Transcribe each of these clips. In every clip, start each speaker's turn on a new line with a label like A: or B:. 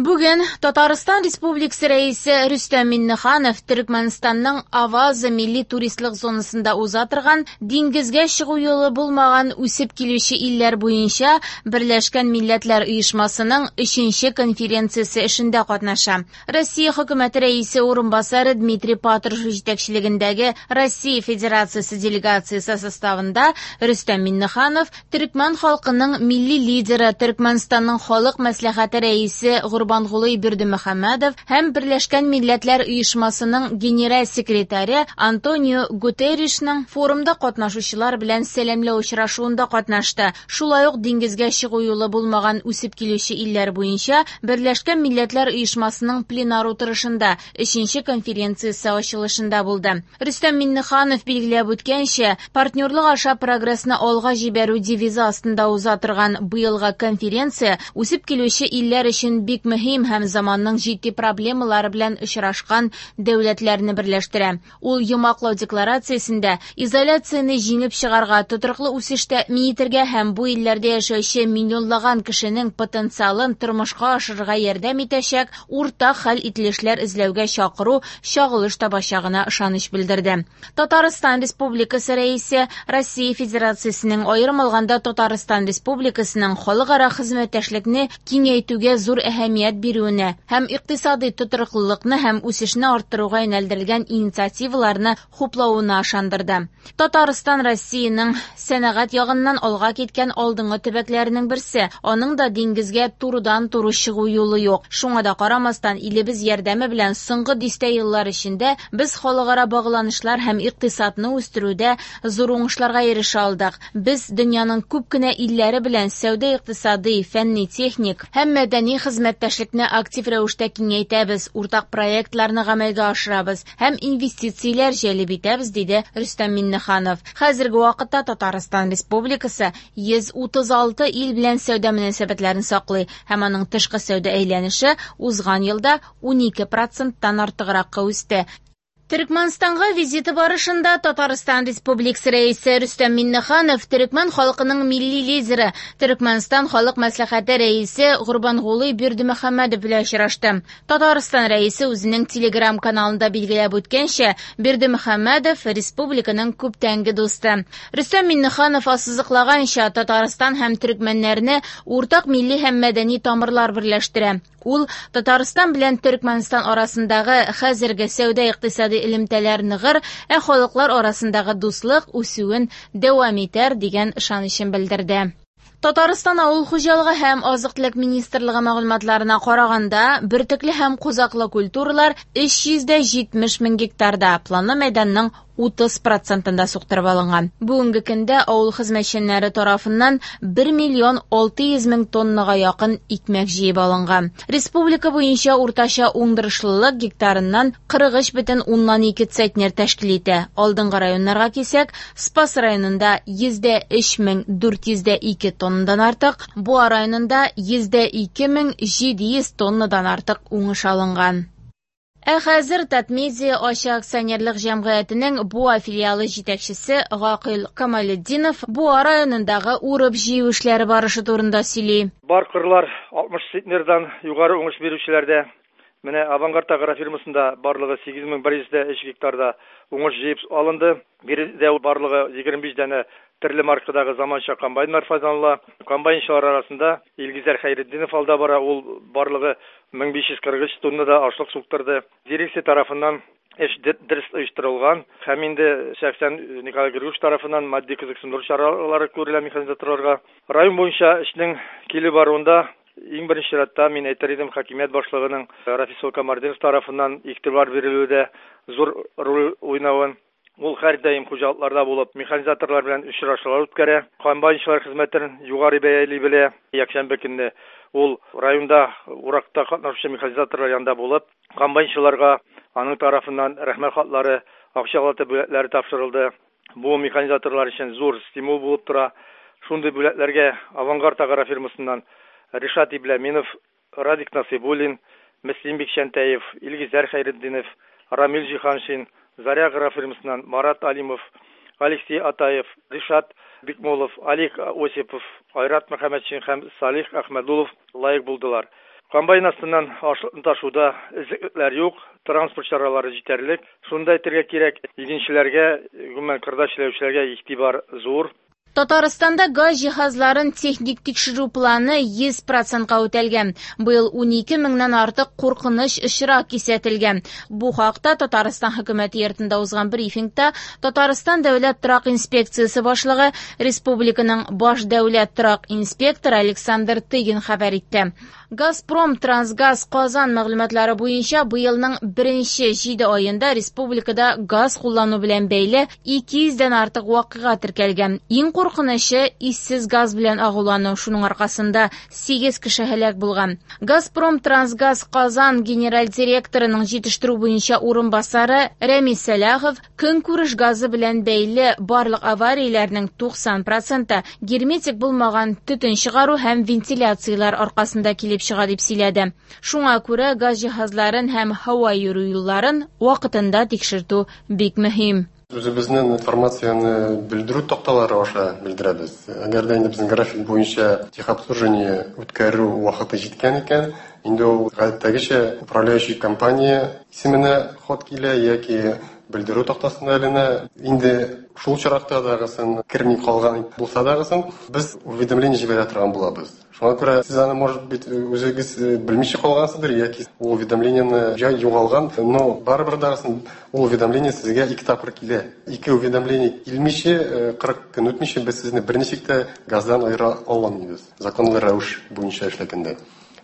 A: Бүген Татарстан Республикасы Рәисе Рөстәм Миңнеханов Төрекмәнстанның Аваза милли туристлык зонасында уза торган диңгезгә чыгу юлы булмаган үсеп килүче илләр буенча Берләшкән Милләтләр Оешмасының өченче конференциясе эшендә катнаша. Россия Хөкүмәте Рәисе урынбасары Дмитрий Патрушев җитәкчелегендәге Россия Федерациясе делегациясе составында Рөстәм Миңнеханов Төрекмән халкының милли лидеры, Төрекмәнстанның Халык мәслихәте рәисе Гурбангулы Бердымөхәммәдов һәм Берләшкән Милләтләр Оешмасының генераль секретаре Антонио Гутерришның форумда катнашучылар белән сәламләү очрашуында катнашты. Шулай ук диңгезгә чыгу юлы булмаган үсеп килүче илләр буенча Берләшкән Милләтләр Оешмасының пленар утырышында өченче конференциясе ачылышында булды. Рөстәм Миңнеханов билгеләп үткәнчә, партнерлык аша прогрессны алга җибәрү девизы астында уза торган быелгы конференция үсеп килүче илләр өчен бик мөһим һәм заманның җитди проблемалары белән очрашкан дәүләтләрне берләштерә. Ул йомгаклау декларациясендә изоляцияне җиңеп чыгарга, тотрыклы үсеш тәэмин итәргә һәм бу илләрдә яшәүче миллионлаган кешенең потенциалын тормышка ашырырга ярдәм итәчәк уртак хәл ителешләр эзләүгә чакыру чагылыш табачагына ышаныч белдерде. Татарстан Республикасы Рәисе Россия Федерациясенең, аерым алганда Татарстан Республикасының халыкара хезмәттәшлекне киңәйтүгә зур әһәмият бирүенә һәм икътисадый тотрыклылыкны һәм үсешне арттыруга юнәлдерелгән инициативаларны хуплавына ышандырды. Татарстан Россиянең сәнәгать ягыннан алга киткән алдынгы төбәкләренең берсе. Аның да диңгезгә турыдан-туры чыгу юлы юк. Шуңа да карамастан, илебез ярдәме белән соңгы дистә еллар эчендә без халыкара багланышлар һәм икътисадны үстерүдә зур уңышларга ирешә алдык. Без дөньяның күп кенә илләре белән сәүдә-икътисадый, фәнни-техник һәм мәдәни хезмәттәшлекне актив рәвештә киңәйтәбез, уртак проектларны гамәлгә ашырабыз һәм инвестицияләр җәлеп итәбез, диде Рөстәм Миңнеханов. Хәзерге вакытта Татарстан Республикасы 136 ил белән сәүдә мөнәсәбәтләрен саклый һәм аның тышкы сәүдә әйләнеше узган елда 12 проценттан артыгракка үсте. Төрекмәнстанга визиты барышында Татарстан Республикасы Рәисе Рөстәм Миңнеханов төрекмән халкының милли лидеры, Төрекмәнстан Халык мәслихәте рәисе Гурбангулы Бердымөхәммәдов белән очрашты. Татарстан Рәисе үзенең Телеграм-каналында билгеләп үткәнчә, Бердымөхәммәдов республиканың күптәнге дусты. Рөстәм Миңнеханов ассызыклаганча, Татарстан һәм төрекмәннәрне уртак милли һәм мәдәни тамырлар берләштерә. Ул Татарстан белән Төрекмәнстан арасындагы хәзерге сәүдә-икътисади элемтәләр ныгыр, ә халыклар арасындагы дуслык үсүен дәвам итәр дигән ышанычын белдерде. Татарстан авыл хуҗалыгы һәм азык-төлек министрлыгы мәгълүматларына караганда, бөртекле һәм кузаклы культуралар 370 мең гектарда, планлы мәйданның 30 процентында суктырып алынган. Бүгенге көндә авыл хезмәтчәннәре тарафыннан 1 миллион 600 мең тоннага якын икмәк җыеп алынган. Республика буенча уртача уңдырышлылык гектарыннан 43,2 центнер тәшкил итә. Алдынгы районнарга килсәк, Спас районында 103 402 тоннадан артык, Буа районында 102 700 тоннадан артык уңыш алынган. Ә хәзер Татмедиа ачык акционерлык җәмгыятенең Буа филиалы җитәкчесе Гакыйл Камалетдинов Буа районындагы урып җыю эшләре барышы турында сөйли.
B: Бар кырлар 60 центнердан югары уңыш бирүчеләрдә. Менә Авангард агрофирмасында барлыгы 8103 гектарда уңыш җыеп алынды. Биредә барлыгы 25 данә төрле маркадагы заманча комбайннар файдаланыла. Комбайнчылар арасында Илгизәр Хәйретдинов алда бара, ул барлыгы 1543 тоннада ашлык суктырды. Дирекция тарафыннан эш дөрес оештырылган һәм инде шәхсән Николай Григорьевич тарафыннан матди кызыксындыру чаралары күрелә механизаторларга. Район буенча эшнең килеп баруында иң беренче чиратта мин әйтер идем, хакимият башлыгының Рафис Камартдинов тарафыннан игътибар бирелүе дә зур роль уйнавын. Ул һәрдаим хуҗалыкларда булып, механизаторлар белән очрашулар үткәрә, комбайнчылар хезмәтен югары бәяли белә. Якшәмбе көнне ул районда уракта катнашучы механизаторлар янында булып, комбайнчыларга аның тарафыннан рәхмәт хатлары, акчалата бүләкләре тапшырылды. Бу механизаторлар өчен зур стимул булып тора. Шундый бүләкләргә Авангард агрофирмасыннан Ришат Ибләминов, Радик Насыйбуллин, Мөслим Бикчәнтәев, Илгизәр Хәйретдинов, Рамил Җиһаншин, Заря агрофирмасыннан Марат Алимов, Алексей Атаев, Ришат Бикмулов, Алик Осипов, Айрат Мөхәммәтшин һәм Салих Әхмәдулов лаек булдылар. Комбайн астыннан ашлыкны ташуда эзлеклекләр юк, транспорт чаралары җитәрлек. Шуны да әйтергә кирәк, игенчеләргә, гомумән кырда эшләүчеләргә игътибар зур.
A: Татарстанда газ җиһазларын техник тикшерү планы 100 процентка үтәлгән. Быел 12 меңнән артык куркыныч очрак кисәтелгән. Бу хакта Татарстан хөкүмәте йортында узган брифингта Татарстан дәүләт торак инспекциясе башлыгы, республиканың баш дәүләт торак инспекторы Александр Тыгин хәбәр итте. Газпром Трансгаз Казан мәгълүматлары буенча быелның беренче 7 аенда республикада газ куллану белән бәйле 200 дән артык вакыйга теркәлгән. Иң куркынычы иссез газ белән агулану, шуның аркасында 8 кеше һәлак булган. Газпром Трансгаз Казан генераль директорының җитештерү буенча урынбасары Рәмис Сәлахов көнкүреш газы белән бәйле барлык аварияләрнең 90 проценты герметик булмаган төтен чыгару һәм вентиляцияләр аркасында килеп чыга дип сөйләде. Шуңа күрә газ җиһазларын һәм һава йөрү юлларын вакытында тикшертү бик мөһим.
C: Үзебезнең информацияне белдерү такталары аша белдерәбез. Әгәр дә инде безнең график буенча техобслуживание үткәрү вакыты җиткән икән, инде ул гадәттәгечә управляющий компания исеменә хат килә яки белдерү тактасына эленә. Инде шул очракта дагысын керми калган булса дагысын, без уведомление җибәрә торган булабыз. Шуңа күрә сез аны, может быть, үзегез белмичә калгансыздыр яки ул уведомлениене җай югалган, но барыбер дагысын ул уведомление сезгә ике тапкыр килә. Ике уведомление килмичә, 40 көн үтмичә без сезне берничек тә газдан аера алмыйбыз. Законлы рәвеш буенча эшләгәндә.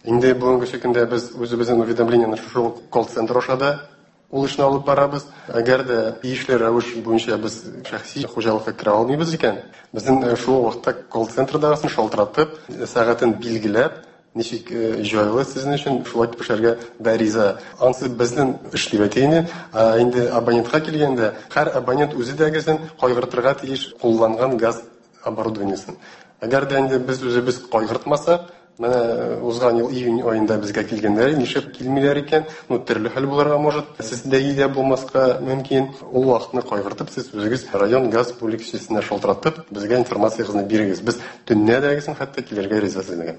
C: Инде бүгенге көндә без үзебезнең уведомлениене шушы колл-центр аша да ул эшне алып барабыз. Әгәр дә тиешле рәвеш буенча без шәхси хуҗалыкка керә алмыйбыз икән, безнең шул вакытта колл-центрдагысын шалтыратып, сәгатен билгеләп, ничек җайлы сезнең өчен, шулай итеп эшләргә дә риза. Ансы безнең эш дип әйтәйин. Ә инде абонентка килгәндә, һәр абонент үзе дә гезен кайгыртырга тиеш кулланган газ оборудованиесен. Әгәр дә инде без үзебез кайгыртмасак, менә узган ел июнь аенда безгә килгәннәр, нишләп килмиләр икән? Ну, төрле хәл булырга может, сездә дә булмаска мөмкин. Ул вакытны кайгыртып, сез үзегез район газ бүлекчәсенә шалтыратып, безгә информациягызны бирегез. Без төнлә дә хәтта килергә риза сезгә.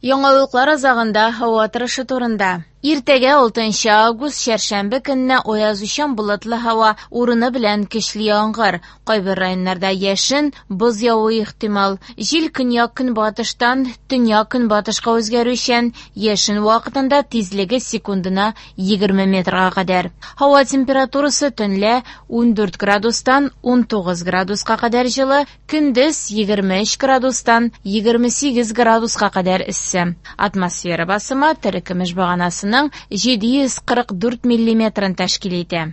A: Яңалыклар азагында һава торышы турында. Иртәгә 6 август чәршәмбе көнне аязучан болытлы һава, урыны белән көчле яңгыр. Кайбер районнарда яшен, боз явуы ихтимал. Җил көньяк-көнбатыштан төньяк-көнбатышка үзгәрүчән, яшен вакытында тизлеге секундына 20 метрга кадәр. Һава температурасы төнлә 14 градустан 19 градуска кадәр җылы, көндез 23 градустан 28 градуска кадәр эссе. Атмосфера басымы терекөмеш баганасының 744 миллиметрын тәшкил итә.